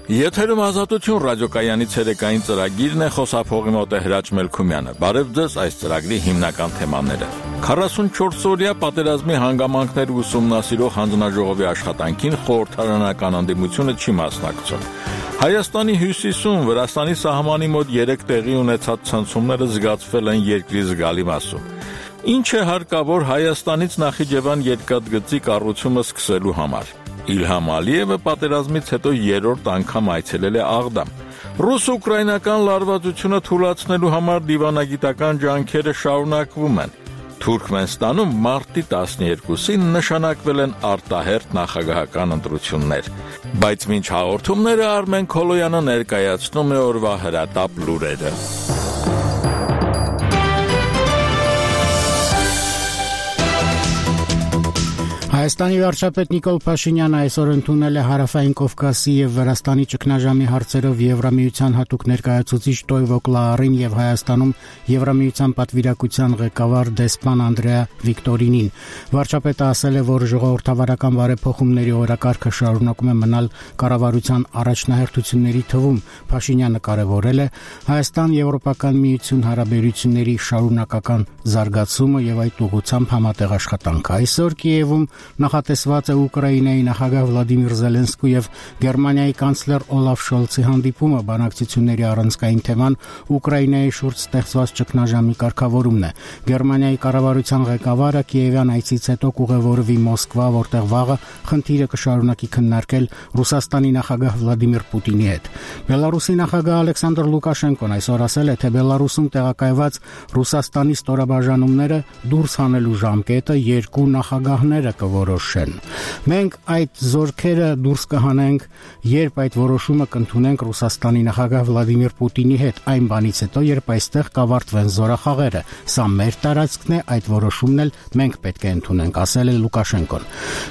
Եթերում Ազատություն ռադիոկայանի ցերեկային ծրագիրն է, խոսափողի մոտ է Հրաչ Մելքումյանը։ Բարև ձեզ, այս ծրագրի հիմնական թեմաները։ 44-օրյա պատերազմի հանգամանքներ ուսումնասիրող հանձնաժողովի աշխատանքին խորհրդարանական ընդդիմությունը չի մասնակցում։ Հայաստանի հյուսիսում Վրաստանի սահմանի մոտ 3 տեղի ունեցած ցնցումները զգացվել են երկրի զգալի մասում։ Ինչ է հարկավոր Հայաստանից Նախիջևան երկաթգծի կառուցումը սկսելու համար։ Իլհամ Ալիևը պատերազմից հետո 3-րդ անգամ այցելել է Աղդամ։ Ռուս-ուկրաինական լարվածությունը թույլատնելու համար դիվանագիտական ջանքերը շարունակվում են։ Թուրքմենստանում մարտի 12-ին նշանակվել են արտահերթ նախագահական ընտրություններ։ Բայց մինչ հաղորդումները Արմեն Քոլոյանը ներկայացնում է օրվա հրատապ լուրերը։ Հայաստանի վարչապետ Նիկոլ Փաշինյանը այսօր ընդունել է Հարավային Կովկասի եւ Վրաստանի ճգնաժամի հարցերով Եվրամիության հատուկ ներկայացուցիչ Տոյվո Կլարին եւ Հայաստանում Եվրամիության պատվիրակության ղեկավար դեսպան Անդրեա Վիկտորինին։ Վարչապետը ասել է, որ ժողովրդավարական բարեփոխումների օրակարգը շարունակում է մնալ կառավարության առաջնահերթությունների թվում։ Փաշինյանը կարևորել է Հայաստան-Եվրոպական միություն հարաբերությունների շարունակական զարգացումը եւ այդ ուղղությամբ համատեղ աշխատանք։ Այսօր Կիևում նախատեսված է Ուկրաինայի նախագահ Վլադիմիր Զելենսկու եւ Գերմանիայի կանցլեր Օլաֆ Շոլցի հանդիպումը։ Բանակցությունների առանցքային թեման Ուկրաինայի շուրջ ստեղծված ճգնաժամի կարգավորումն է։ Գերմանիայի կառավարության ղեկավարը Կիևյան այցից հետո կուղևորվի Մոսկվա, որտեղ վաղը խնդիրը կշարունակի քննարկել Ռուսաստանի նախագահ Վլադիմիր Պուտինի հետ։ Բելարուսի նախագահ Ալեքսանդր Լուկաշենկոն այսօր ասել է, թե Բելարուսում տեղակայված Ռուսաստանի ստորաբաժանումները դուրս հանելու ժամկետը երկու նախագահները կորոշեն։ Մենք այդ զորքերը դուրս կհանենք, երբ այդ որոշումը կընդունենք Ռուսաստանի նախագահ Վլադիմիր Պուտինի հետ, այն բանից հետո, երբ այստեղ կավարտվեն զորախաղերը։ Սա մեր տարածքն է, այդ որոշումն էլ մենք պետք է ընդունենք, ասել է Լուկաշենկոն։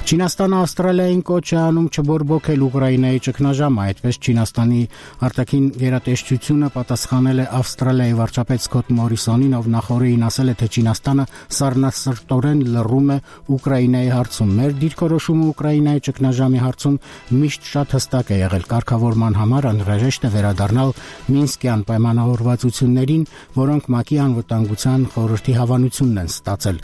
Չինաստանը Ավստրալիային կոչ է անում չբորբոքել Ուկրաինայի ճգնաժամը, այդպես Չինաստանի արտաքին գերատեսչությունը պատասխանել է Ավստրալիայի վարչապետ Սքոթ Մորիսոնին, ով նախորդին ասել է, թե Չինաստանը սառնասրտորեն լռում է Ուկրաինայի հարցում։ Մեր դիրքորոշումը Ուկրաինայի ճգնաժամի հարցում միշտ շատ հստակ է եղել։ Կարգավորման համար անհրաժեշտ է վերադառնալ Մինսկյան պայմանավորվածություններին, որոնք ՄԱԿ-ի անվտանգության խորհրդի հավանությունն են ստացել,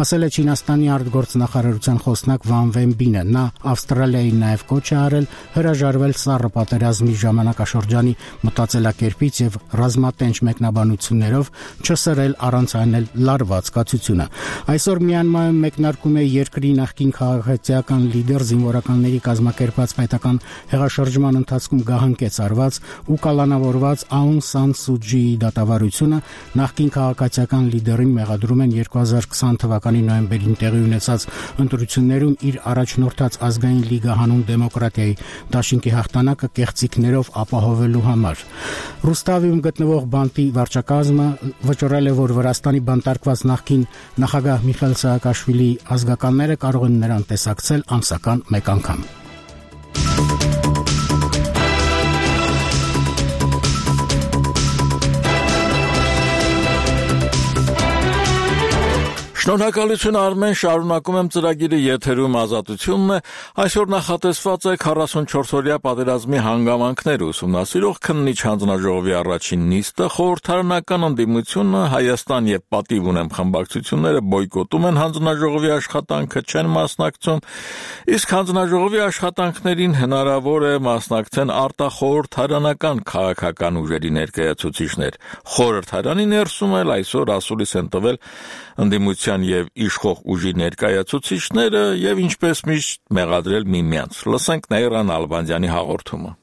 ասել է Չինաստանի արտգործնախարարության խոսնակ Վան Վենբինը։ Նա Ավստրալիային նաև կոչ է արել հրաժարվել սառը պատերազմի ժամանակաշրջանի մտածելակերպից եւ ռազմատենչ մեկնաբանություններով չսրել առանց անել լարված կացությունը։ Այսօր Մյանմարում մեկնարկում է երկրի նախկին քաղաքացիական լիդեր զինվորականների կազմակերպած պետական հեղաշրջման ընթացքում գահանկեց արված ու կալանավորված Աուն Սան Սու Ջիի դատավարությունը։ Նախկին քաղաքացիական լիդերին մեղադրում են 2020 թվականի նոյեմբերին տեղի ունեցած ընտրություններում իր առաջնորդած Ազգային լիգա հանուն դեմոկրատիայի դաշինքի հաղթանակը կեղծիքներով ապահովելու համար։ Ռուստավիում գտնվող բանտի վարչակազմը վճռել է, որ Վրաստանի բանտարկված նախկին նախագահ Միխայիլ Սահակաշվիլիի ազգականները կարող են նրան տեսակցել ամսական մեկ անգամ։ Շնորհակալություն Արմեն, շարունակում եմ ծրագիրը, եթերում Ազատությունն է։ Այսօր նախատեսված է 44-օրյա պատերազմի հանգամանքները ուսումնասիրող քննիչ հանձնաժողովի առաջին նիստը։ Խորհրդարանական ընդդիմությունը Հայաստան եւ Պատիվ ունեմ խմբակցությունները բոյկոտում են հանձնաժողովի աշխատանքը, չեն մասնակցում, իսկ հանձնաժողովի աշխատանքներին հնարավոր է մասնակցեն արտախորհրդարանական քաղաքական ուժերի ներկայացուցիչներ։ Խորհրդարանի ներսում էլ այսօր ասուլիս են տվել ընդդիմության եւ իշխող ուժի ներկայացուցիչները եւ ինչպես միշտ մեղադրել միմյանց։ Լսենք Նայիրան Ալբանդյանի հաղորդումը։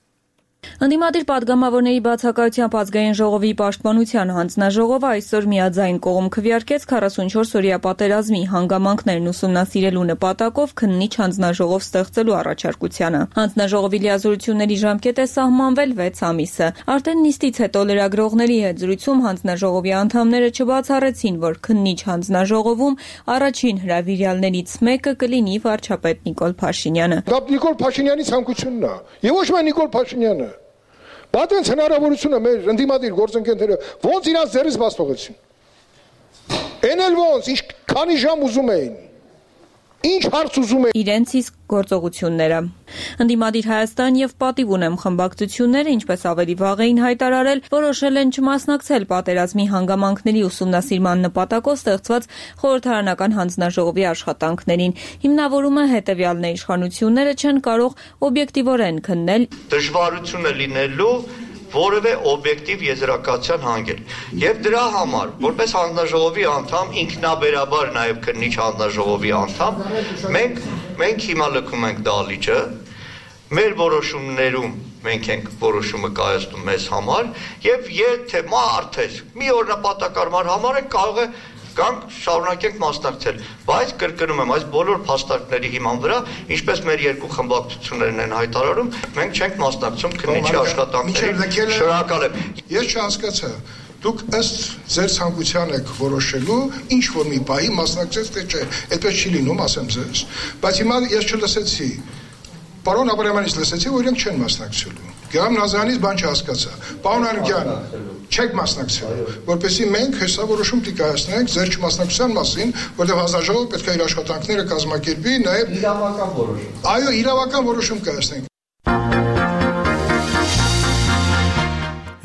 Ընդդիմադիր պատգամավորների բացակայությամբ Ազգային ժողովի պաշտպանության հանձնաժողովը այսօր միաձայն կողմ քվեարկեց 44-օրյա պատերազմի հանգամանքներն ուսումնասիրելու նպատակով քննիչ հանձնաժողով ստեղծելու առաջարկությանը։ Հանձնաժողովի լիազորությունների ժամկետ է սահմանվել 6 ամիսը։ Արդեն նիստից հետո լրագրողների հետ զրույցում հանձնաժողովի անդամները չբացառեցին, որ քննիչ հանձնաժողովում առաջին հրավիրյալներից մեկը կլինի վարչապետ Նիկոլ Փաշինյանը։ Դա Նիկոլ Փաշինյանի ցանկությունն է։ Եվ ոչ միայն Նիկոլ Փաշինյանը։ Բայց հնարավորությունը մեր ընդդիմադիր գործընկերները ոնց իրաց ձեռից բաց թողեցին։ Էնել ոնց, քանի ժամ ուզում էին։ Ինչ հարց ուզում եք։ Իրենց իսկ գործողությունները։ Ընդդիմադիր Հայաստան եւ Պատիվ ունեմ խմբակցությունները, ինչպես ավելի վաղ էին հայտարարել, որոշել են չմասնակցել պատերազմի հանգամանքների ուսումնասիրման նպատակով ստեղծված խորհրդարանական հանձնաժողովի աշխատանքներին։ Հիմնավորումը հետեւյալն է՝ իշխանությունները չեն կարող օբյեկտիվորեն քննել դժվարությունը լինելու որևէ օբյեկտիվ եզրակացության հանգել։ Եվ դրա համար, որպես հանձնաժողովի անդամ, ինքնաբերաբար նաև քննիչ հանձնաժողովի անդամ, մենք հիմա լքում ենք դահլիճը, մեր որոշումներում մենք ենք որոշումը կայացնում մեզ համար, եւ եթե մարդես մի օր նպատակարար համար է կարող է Կանք շարունակենք մասնակցել, բայց կրկնում եմ, այս բոլոր փաստարկների հիման վրա, ինչպես մեր երկու խմբակցություններն են հայտարարում, մենք չենք մասնակցում քննիչի աշխատանքներին։ Շնորհակալ եմ։ Ես չհասկացա, դուք ըստ ձեր ցանկության եք որոշելու, ինչ որ մի բայի մասնակցես թե չէ, այդպես չի լինում, ասեմ ձեզ։ Բայց հիմա ես չլսեցի։ Պարոն Աբրահամյանից լսեցի, որ իրենք չեն մասնակցելու։ Գերամ Նազարյանից բան չհասկացա։ Պարոն Ալիքյան, չեք մասնակցելու, որպեսզի մենք հեսա որոշում կայացնենք ձեր չմասնակցության մասին, որտեղ հանձնաժողովը պետք է իր աշխատանքները կազմակերպի, նաև իրավական որոշում։ Այո, իրավական որոշում կայացնենք։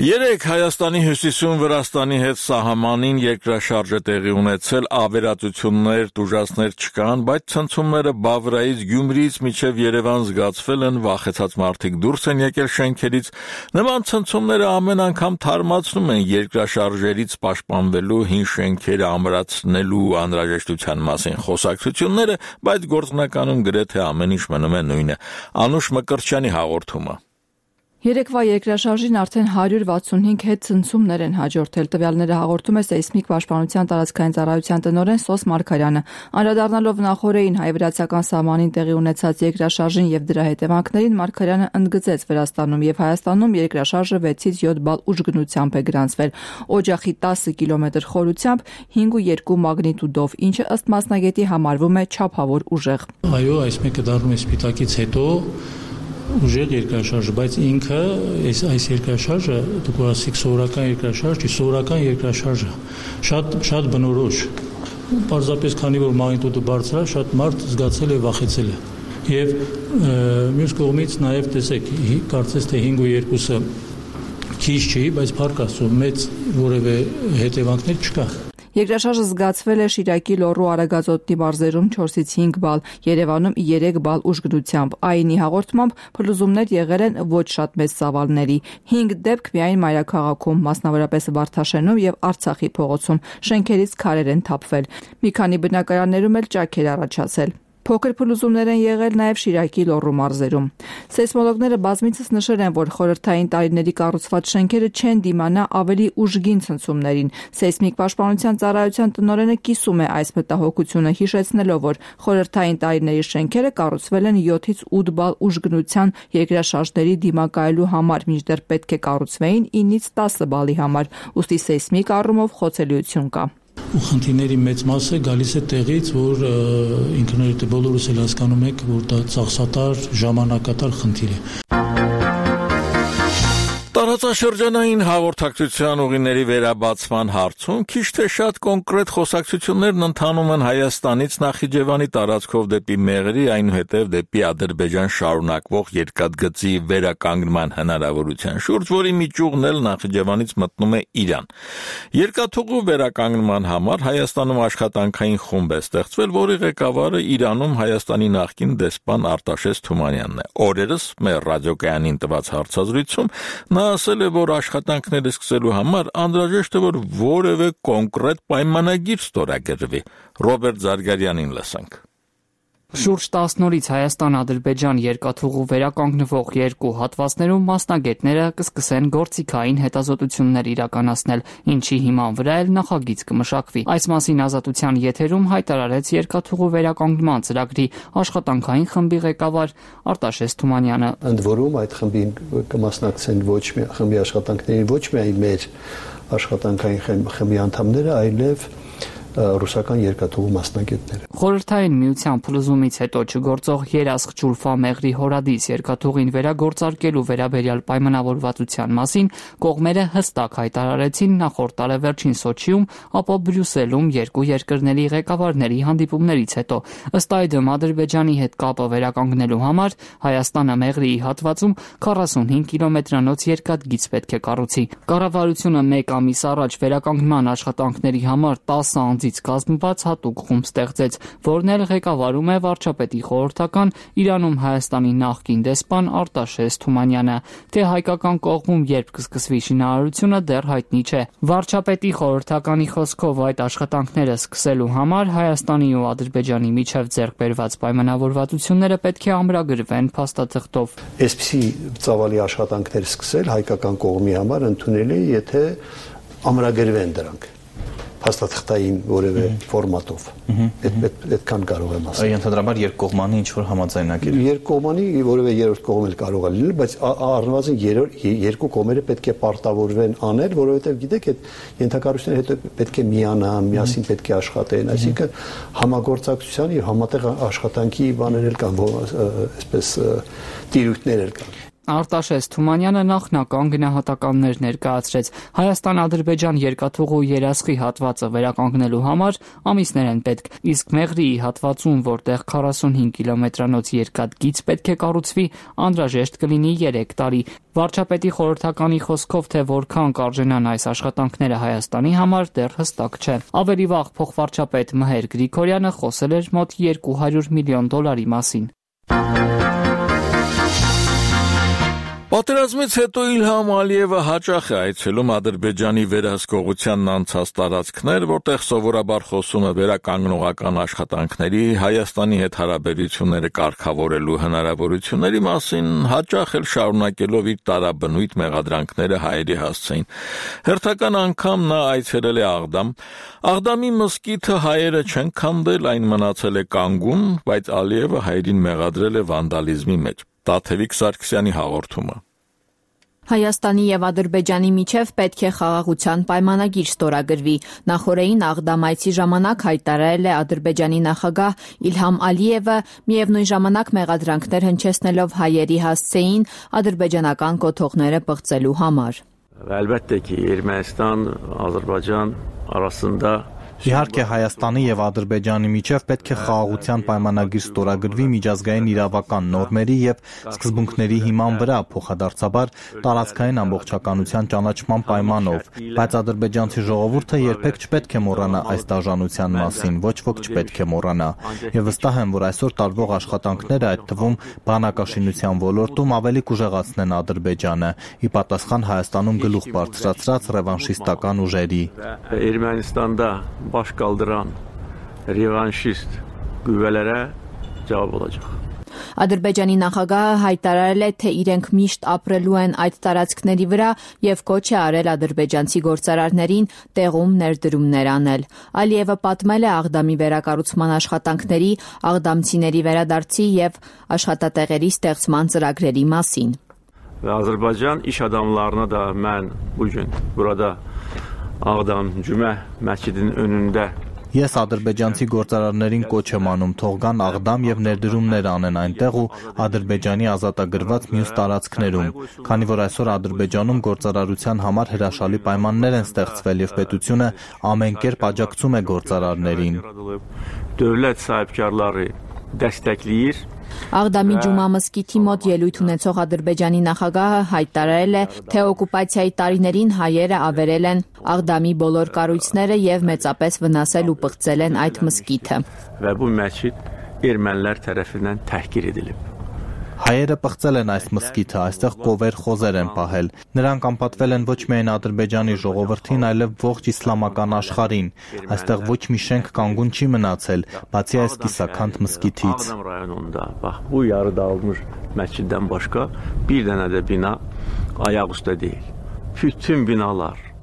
Երեք Հայաստանի հյուսիսում Վրաստանի հետ սահմանին երկրաշարժ է տեղի ունեցել, ավերածություններ, տուժածներ չկան, բայց ցնցումները Բավրայից, Գյումրիից մինչև Երևան զգացվել են, վախեցած մարդիկ դուրս են եկել շենքերից։ Նման ցնցումները ամեն անգամ թարմացնում են երկրաշարժերից պաշտպանվելու, հին շենքերը ամրացնելու անհրաժեշտության մասին խոսակցությունները, բայց գործնականում գրեթե ամեն ինչ մնում է նույնը։ Անուշ Մկրտչյանի հաղորդումը։ Երեկվա երկրաշարժին արդեն 165 հետ ցնցումներ են հաջորդել, տվյալները հաղորդում է Սեյսմիկ պաշտպանության տարածքային ծառայության տնօրեն Սոս Մարգարյանը։ Անդրադառնալով նախորդին հայ-վրացական սահմանին տեղի ունեցած երկրաշարժին եւ դրա հետևանքներին, Մարգարյանը ընդգծեց Վրաստանում եւ Հայաստանում երկրաշարժը 6-ից 7 բալ ուժգնությամբ է գրանցվել, օջախի 10 կիլոմետր խորությամբ 5.2 մագնիտուդով, ինչը ըստ մասնագետի համարվում է չափավոր ուժեղ։ Այո, այս մեկը դառնում է Սպիտակից հետո ուժեղ երկրաշարժ, բայց ինքը այս երկրաշարժը դուք ասեք սովորական երկրաշարժ, սովորական երկրաշարժը շատ բնորոշ։ Պարզապես քանի որ մագնիտուդը բարձր է, շատ մարդ զգացել է, վախեցել է։ Եվ մյուս կողմից նաև տեսեք, կարծես թե 5.2-ը քիչ չի, բայց փառք Աստծո մեծ որևէ հետևանքներ չկա։ Երկրաշարժը զգացվել է Շիրակի լոռու Արագածոտնի մարզերում 4-ից 5 բալ, Երևանում 3 բալ ուժգնությամբ։ ԱԻՆ-ի հաղորդմամբ փլուզումներ եղել են ոչ շատ մեծ ծավալների։ 5 դեպք միայն մայրաքաղաքում, մասնավորապես Վարդաշենում եւ Արցախի փողոցում, շենքերից քարեր են թափվել։ Մի քանի բնակարաններում էլ ճաք էր առաջացել։ Փոքր փլուզումներ են եղել նաև Շիրակի լոռու մարզերում։ Սեյսմոլոգները բազմիցս նշել են, որ խորհրդային տարիների կառուցված շենքերը չեն դիմանա ավելի ուժգին ցնցումներին։ Սեյսմիկ պաշտպանության ծառայության տնօրենը կիսում է այս մտահոգությունը, հիշեցնելով, որ խորհրդային տարիների շենքերը կառուցվել են 7-ից 8 բալ ուժգնության երկրաշարժների դիմակայելու համար, մինչդեռ պետք է կառուցվեին 9-ից 10 բալի համար, ուստի սեյսմիկ առումով խոցելիություն կա։ Ու խնդիրների մեծ մասը գալիս է տեղից, որ ինքնուրույն բոլորս էլ հասկանում եք, որ դա ծախսատար, ժամանակատար խնդիր է։ Տարածաշրջանային հաղորդակցության ուղիների վերաբացման հարցում քիչ թե շատ կոնկրետ խոսակցություններն ընթանում են Հայաստանից Նախիջևանի տարածքով դեպի Մեղրի, այնուհետև դեպի Ադրբեջան շարունակվող երկաթգծի վերականգնման հնարավորության շուրջ, որի միջուղն էլ Նախիջևանից մտնում է Իրան։ Երկաթուղու վերականգնման համար Հայաստանում աշխատանքային խումբ է ստեղծվել, որի ղեկավարը Իրանում Հայաստանի նախկին դեսպան Արտաշես Թումանյանն է։ Օրերս մեր ռադիոկայանին տված հարցազրույցում նա ասել է, որ աշխատանքները սկսելու համար անհրաժեշտ է, որ որևէ կոնկրետ պայմանագիր ստորագրվի։ Ռոբերտ Զարգարյանին լսենք։ Շուրջ 10 օրից Հայաստան-Ադրբեջան երկաթուղու վերականգնվող երկու հատվածներում մասնագետները կսկսեն գործիքային հետազոտություններ իրականացնել, ինչի հիման վրա էլ նախագիծ կմշակվի։ Այս մասին Ազատության եթերում հայտարարեց երկաթուղու վերականգնման ծրագրի աշխատանքային խմբի ղեկավար Արտաշես Թումանյանը։ Ընդ որում այդ խմբին կմասնակցեն ոչ մի խմբի աշխատանքներին ոչ միայն մեր աշխատանքային խմբի անդամները, այլև ռուսական երկաթուղու մասնագետները։ Խորհրդային միության փլուզումից հետո չգործող երասխ Ջուլֆա մեղրի հորադիս երկաթուղին վերագործարկելու վերաբերյալ պայմանավորվածության մասին կողմերը հստակ հայտարարեցին նախորդ տարեվերջին Սոչիում, ապա Բրյուսելում երկու երկրների ղեկավարների հանդիպումներից հետո։ Ըստ այդմ Ադրբեջանի հետ կապը վերականգնելու համար Հայաստանը մեղրիի հատվածում 45 կիլոմետրանոց երկաթգիծ պետք է կառուցի։ Կառավարությունը 1 ամիս առաջ վերականգնման աշխատանքների համար 10 անձից կազմված հատուկ խումբ ստեղծեց, որն էլ ղեկավարում է վարչապետի խորհրդական Իրանում Հայաստանի նախկին դեսպան Արտաշես Թումանյանը։ Թե հայկական կողմում երբ կսկսվի շինարարությունը դեռ հայտնի չէ։ Վարչապետի խորհրդականի խոսքով այդ աշխատանքները սկսելու համար Հայաստանի ու Ադրբեջանի միջև ձեռք բերված պայմանավորվածությունները պետք է ամրագրվեն փաստաթղթով։ Այսպիսի ծավալի աշխատանքներ սկսել հայկական կողմի համար ընդունելի է, եթե ամրագրվեն դրանք փաստաթղթային որևէ ֆորմատով։ Այդքան կարող եմ ասել։ Ընդհանրաբար երկկողմանի ինչ-որ համաձայնագիր։ Երկկողմանի որևէ երրորդ կողմ էլ կարող է լինել, բայց առնվազն երկու կողմերը պետք է պարտավորվեն անել, որովհետև գիտեք, այդ ենթակառույցները հետո պետք է միանան, միասին պետք է աշխատեն, այսինքն համագործակցության եւ համատեղ աշխատանքի բաներ էլ կան, այսպես տիրույթներ էլ կան։ Արտաշես Թումանյանը նախնական գնահատականներ ներկայացրեց։ Հայաստան-Ադրբեջան երկաթուղու երասխի հատվածը վերականգնելու համար ամիսներ են պետք, իսկ մեղրիի հատվածում, որտեղ 45 կիլոմետրանոց երկաթգիծ պետք է կառուցվի, անհրաժեշտ կլինի 3 տարի։ Վարչապետի խորհրդականի խոսքով, թե որքան կարժենան այս աշխատանքները Հայաստանի համար, դեռ հստակ չէ։ Ավելի վաղ փոխվարչապետ Մհեր Գրիգորյանը խոսել էր մոտ $200 միլիոն մասին։ Պատերազմից հետո Իլհամ Ալիևը հաճախ է այցելում Ադրբեջանի վերահսկողությանն անցած տարածքներ, որտեղ սովորաբար խոսում է վերականգնողական աշխատանքների, Հայաստանի հետ հարաբերությունները կարգավորելու հնարավորությունների մասին, հաճախ էլ շարունակելով իր տարաբնույթ մեղադրանքները հայերի հասցեին։ Հերթական անգամ նա այցելել է Աղդամ։ Աղդամի մզկիթը հայերը չեն քանդել, այն մնացել է կանգուն, բայց Ալիևը հայերին մեղադրել է վանդալիզմի մեջ։ Տաթևիկ Սարգսյանի հաղորդումը։ Հայաստանի եւ Ադրբեջանի միջև պետք է խաղաղության պայմանագիր ստորագրվի։ Նախորդին Աղդամայցի ժամանակ հայտարարել է Ադրբեջանի նախագահ Իլհամ Ալիևը, միևնույն ժամանակ մեղադրանքներ հնչեցնելով հայերի հասցեին ադրբեջանական կոթողները պղծելու համար։ Əlbəttə ki, Ermənistan-Azərbaycan arasında Իհարկե Հայաստանի եւ Ադրբեջանի միջև պետք է խաղաղության պայմանագիր ստորագրվի միջազգային իրավական նորմերի եւ սկզբունքների հիման վրա, փոխադարձաբար տարածքային ամբողջականության ճանաչման պայմանով, բայց ադրբեջանցի ժողովուրդը երբեք չպետք է մոռանա այս դաժանության մասին, ոչ ոք չպետք է մոռանա։ Եվ վստահ եմ, որ այսօր տարվող աշխատանքները, այդ թվում բանակաշինության ոլորտում ավելի կուժեղացնեն Ադրբեջանը, ի պատասխան Հայաստանում գլուխ բարձրացրած ռևանշիստական ուժերի։ Ermənistanda baş qaldıran revanşist qüvvələrə cavab olacaq։ Ադրբեջանի նախագահը հայտարարել է, թե իրենք միշտ ապրելու են այդ տարածքների վրա եւ կոչ է արել ադրբեջանցի գործարարներին տեղում ներդրումներ անել։ Ալիևը պատմել է Աղդամի վերակառուցման աշխատանքների, աղդամցիների վերադարձի եւ աշխատատեղերի ստեղծման ծրագրերի մասին։ Azərbaycan iş adamlarına da mən bu gün burada Ağdam Cümə məscidinin önündə Ես ադրբեջանցի գործարարներին կոչ եմ անում թող գան Աղդամ եւ ներդրումներ անեն այնտեղ ու Ադրբեջանի ազատագրված մյուս տարածքներում, քանի որ այսօր Ադրբեջանում գործարարության համար հրաշալի պայմաններ են ստեղծվել եւ պետությունը ամեն կերպ աջակցում է գործարարներին։ Dövlət sahibkarları dəstəkləyir։ Աղդամի Ջումա մզկիթի մոտ ելույթ ունեցող Ադրբեջանի նախագահը հայտարարել է, թե օկուպացիայի տարիներին հայերը ավերել են Աղդամի բոլոր կառույցները եւ մեծապես վնասել ու պղծել են այդ մզկիթը։ Və bu məscid ermənilər tərəfindən təhqir edilib։ Հայերը պղծել են այս մզկիթը, այստեղ կովեր խոզեր են պահել։ Նրանք անպատվել են ոչ միայն Ադրբեջանի ժողովրդին, այլև ողջ իսլամական աշխարհին։ Այստեղ ոչ մի շենք կանգուն չի մնացել, բացի այս կիսաքանդ մզկիթից։ Bax, bu yarı dağılmış məsciddən başqa bir dənə də bina ayaq üstə deyil. Bütün binalar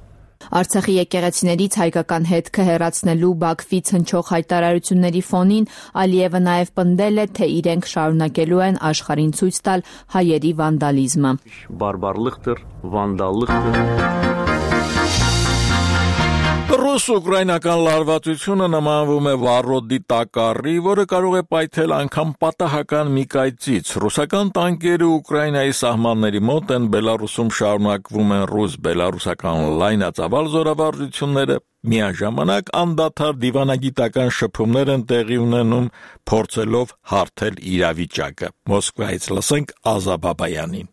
Արցախի եկեղեցիներից հայկական հետքը հեռացնելու Բաքվից հնչող հայտարարությունների ֆոնին Ալիևը նաև պնդել է, թե իրենք շարունակելու են աշխարհին ցույց տալ հայերի վանդալիզմը։ Բարբարlıqdır, vandallıqdır։ Ռուս-ուկրաինական լարվածությունը նմանվում է վառոդի տակառի, որը կարող է պայթել անգամ պատահական մի կայծից։ Ռուսական տանկերը Ուկրաինայի սահմանների մոտ են, Բելարուսում շարունակվում են ռուս-բելարուսական լայնածավալ զորավարժությունները, միաժամանակ անդադար դիվանագիտական շփումներ են տեղի ունենում, փորձելով հարթել իրավիճակը։ Մոսկվայից լսենք Ազա Բաբայանին։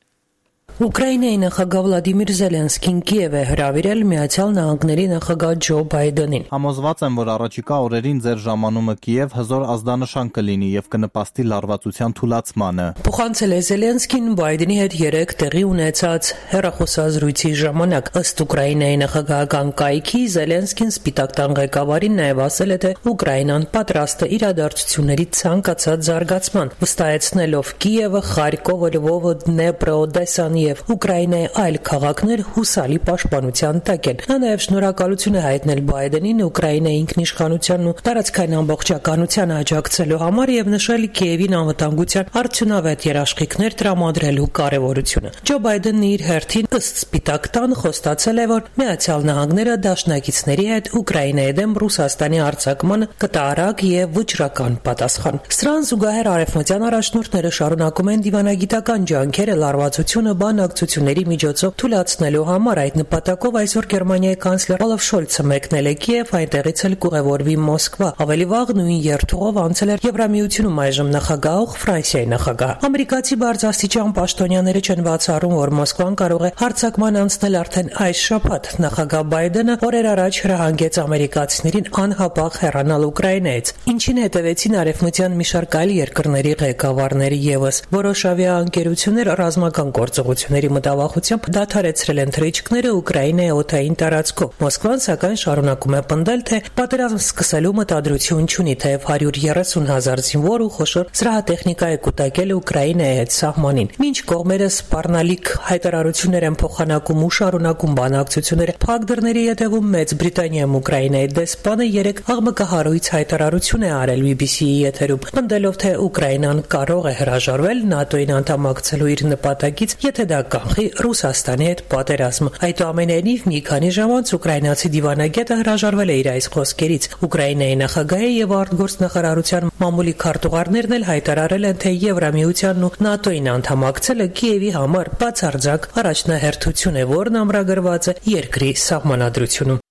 Ուկրաինայի նախագահ Վլադիմիր Զելենսկին Կիև է հրավիրել Միացյալ Նահանգների նախագահ Ջո Բայդենին։ Համոզված եմ, որ առաջիկա օրերին ձեր ժամանումը Կիև հզոր ազդանշան կլինի եւ կնպաստի լարվածության թուլացմանը։ Փոխանցել է Զելենսկին Բայդենի հետ երեկ տեղի ունեցած հեռախոսազրույցի ժամանակ։ Ըստ Ուկրաինայի նախագահական կայքի Զելենսկին Սպիտակ տան ղեկավարին նաև ասել է, թե Ուկրաինան պատրաստ է իրադարձությունների ցանկացած զարգացման, վստահեցնելով Կիևը, Խարկովը, Լվովը, Դնեպրը, Օդեսան եւ Ուկրաինայի այլ քաղաքներ հուսալի պաշտպանության տակ են։ Նա նաև շնորհակալություն է հայտնել Բայդենին Ուկրաինայի ինքնիշխանությանն ու տարածքային ամբողջականությանը աջակցելու համար եւ նշել Կիևին անվտանգության արդյունավետ երաշխիքներ տրամադրելու կարեւորությունը։ Ջո Բայդենն իր հերթին ըստ Սպիտակ տան խոստացել է, որ Միացյալ Նահանգները դաշնակիցների հետ Ուկրաինայի դեմ Ռուսաստանի արձակմանը կտա արագ եւ վճռական պատասխան։ Սրան զուգահեռ արևմտյան առաջնորդները շարունակում են դիվանագիտական ջանքերը լարվածությունը բանակցությունների միջոցով թույլատնելու համար։ Այդ նպատակով այսօր Գերմանիայի կանցլեր Օլաֆ Շոլցը մեկնել է Կիև, այնտեղից էլ կուղևորվի Մոսկվա։ Ավելի վաղ նույն երթուղով անցել էր Եվրամիությունում այժմ նախագահող Ֆրանսիայի նախագահ։ Ամերիկացի բարձրաստիճան պաշտոնյաները չեն բացառում, որ Մոսկվան կարող է հարձակման անցնել արդեն այս շաբաթ։ Նախագահ Բայդենը օրեր առաջ հրահանգեց ամերիկացիներին անհապաղ հեռանալ Ուկրաինայից, ինչին հետևեցին արևմտյան մի շարք այլ երկրների ղեկավարներ եւս։ Որոշ ավիաընկերություններ ռազմական գործողությունների մտավախությամբ դադարեցրել են թռիչքները Ուկրաինայի օդային տարածքով։ Մոսկվան սակայն շարունակում է պնդել, թե պատերազմ սկսելու մտադրություն չունի, թեև 130,000 զինվոր ու խոշոր զրահատեխնիկա է կուտակել Ուկրաինայի հետ սահմանին։ Մինչ կողմերը սպառնալիք հայտարարություններ են փոխանակում ու շարունակում բանակցությունները, փակ դռների ետևում Մեծ Բրիտանիայում Ուկրաինայի դեսպանը երեք աղմկահարույց հայտարարություն է արել BBC-ի եթերում, պնդելով, թե Ուկրաինան կարող է հրաժարվել ՆԱՏՕ-ին անդամակցելու իր նպատակից, եթե դա կանխի Ռուսաստանի հետ պատերազմը։ Այդուամենայնիվ մի քանի ժամ անց ուկրաինացի դիվանագետը հրաժարվել է իր այս խոսքերից։ Ուկրաինայի նախագահի եւ արտգործնախարարության մամուլի քարտուղարներն էլ հայտարարել են, թե Եվրամիությանն ու ՆԱՏՕ-ին անդամակցելը Կիևի համար բացարձակ առաջնահերթություն է, որն ամրագրված է երկրի սահմանադրությունում։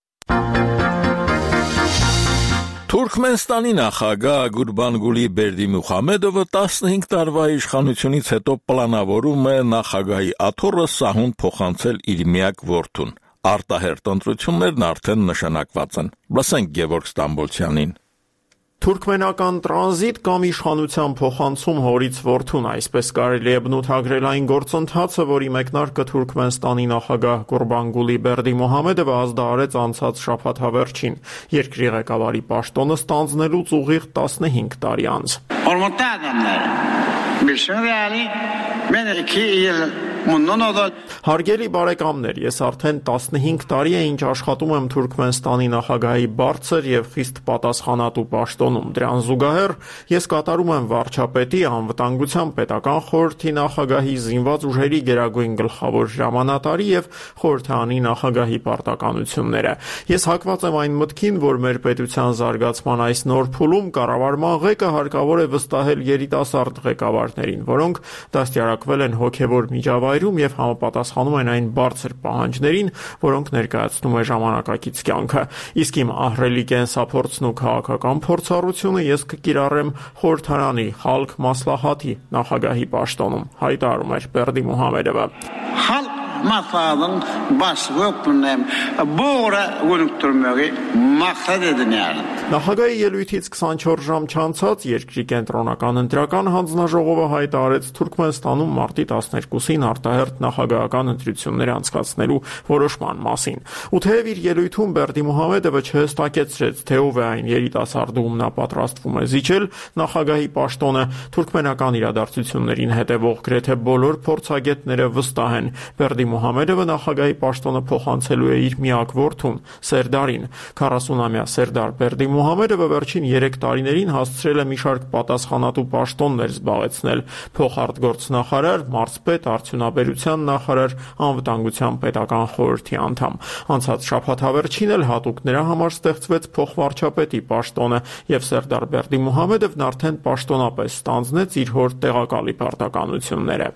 Թուրքմենստանի նախագահ Գուրբանգուլի Բերդիմուխամեդովը 15 տարվա իշխանությունից հետո պլանավորում է նախագահի աթոռը սահուն փոխանցել իր միակ որդուն։ Արտահերթ ընտրություններն արդեն նշանակված են։ Լսենք Գևորգ Ստամբոլցյանին։ Թուրքմենական տրանզիտ կամ իշխանության փոխանցում հորից որդուն, այսպես կարելի է բնութագրել այն գործընթացը, որի մեկնարկը Թուրքմենստանի նախագահ Գուրբանգուլի Բերդիմուխամեդովը ազդարարեց անցած շաբաթավերջին, երկրի ղեկավարի պաշտոնը ստանձնելուց ուղիղ 15 տարի անց։ Հարգելի բարեկամներ, ես արդեն 15 տարի է ինչ աշխատում եմ Թուրքմենստանի նախագահի բարձր եւ խիստ պատասխանատու պաշտոնում։ Դրան զուգահեռ ես կատարում եմ վարչապետի, անվտանգության պետական խորհրդի նախագահի, զինված ուժերի գերագույն գլխավոր հրամանատարի եւ խորհրդանի նախագահի պարտականությունները։ Ես հակված եմ այն մտքին, որ մեր պետության զարգացման այս նոր փուլում կառավարման ղեկը հարկավոր է վստահել երիտասարդ ղեկավարներին, որոնք դաստիարակվել են հոգեվոր միջավայրում եւ համապատասխանում են այն բարձր պահանջներին, որոնք ներկայացնում է ժամանակակից կյանքը։ Իսկ իմ ահռելի կենսափորձն ու քաղաքական փորձառությունը ես կկիրառեմ խորհրդարանի Խալք Մասլահաթի նախագահի պաշտոնում, հայտարարում էր Բերդիմուխամեդովը։ Masalın başlığı öptüğünden boğra gönüktürmeyi maksat edin yani. Նախագահի ելույթից 24 ժամ չանցած երկրի կենտրոնական ընտրական հանձնաժողովը հայտարարեց Թուրքմենստանում մարտի 12-ին արտահերթ նախագահական ընտրություններ անցկացնելու որոշման մասին։ Ու թեև իր ելույթում Բերդիմուխամեդովը չհստակեցրեց, թե ով է այն երիտասարդը, ում նա պատրաստվում է զիջել նախագահի պաշտոնը, թուրքմենական իրադարձություններին հետևող գրեթե բոլոր փորձագետները վստահ են Մուհամեդովը նախագահի պաշտոնը փոխանցելու է իր միակ որդուն Սերդարին։ 40-ամյա Սերդար Բերդի Մուհամեդովը վերջին 3 տարիներին հասցրել է մի շարք պատասխանատու պաշտոններ զբաղեցնել՝ փոխարտգործնախարար, մարզպետ, արդյունաբերության նախարար, անվտանգության պետական խորհրդի անդամ։ Անցած շաբաթ հավերչին էլ հատուկ նրա համար ստեղծվեց փոխվարչապետի պաշտոնը, եւ Սերդար Բերդի Մուհամեդովն արդեն պաշտոնապես ստանձնեց իր հոր տեղակալի պարտականությունները։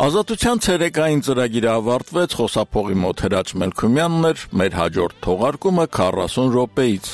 Ազատության ցերեկային ծրագիրը ավարտվեց, խոսափողի մոտ Հրաչ Մելքումյանն էր, մեր հաջորդ թողարկումը 40 րոպեից։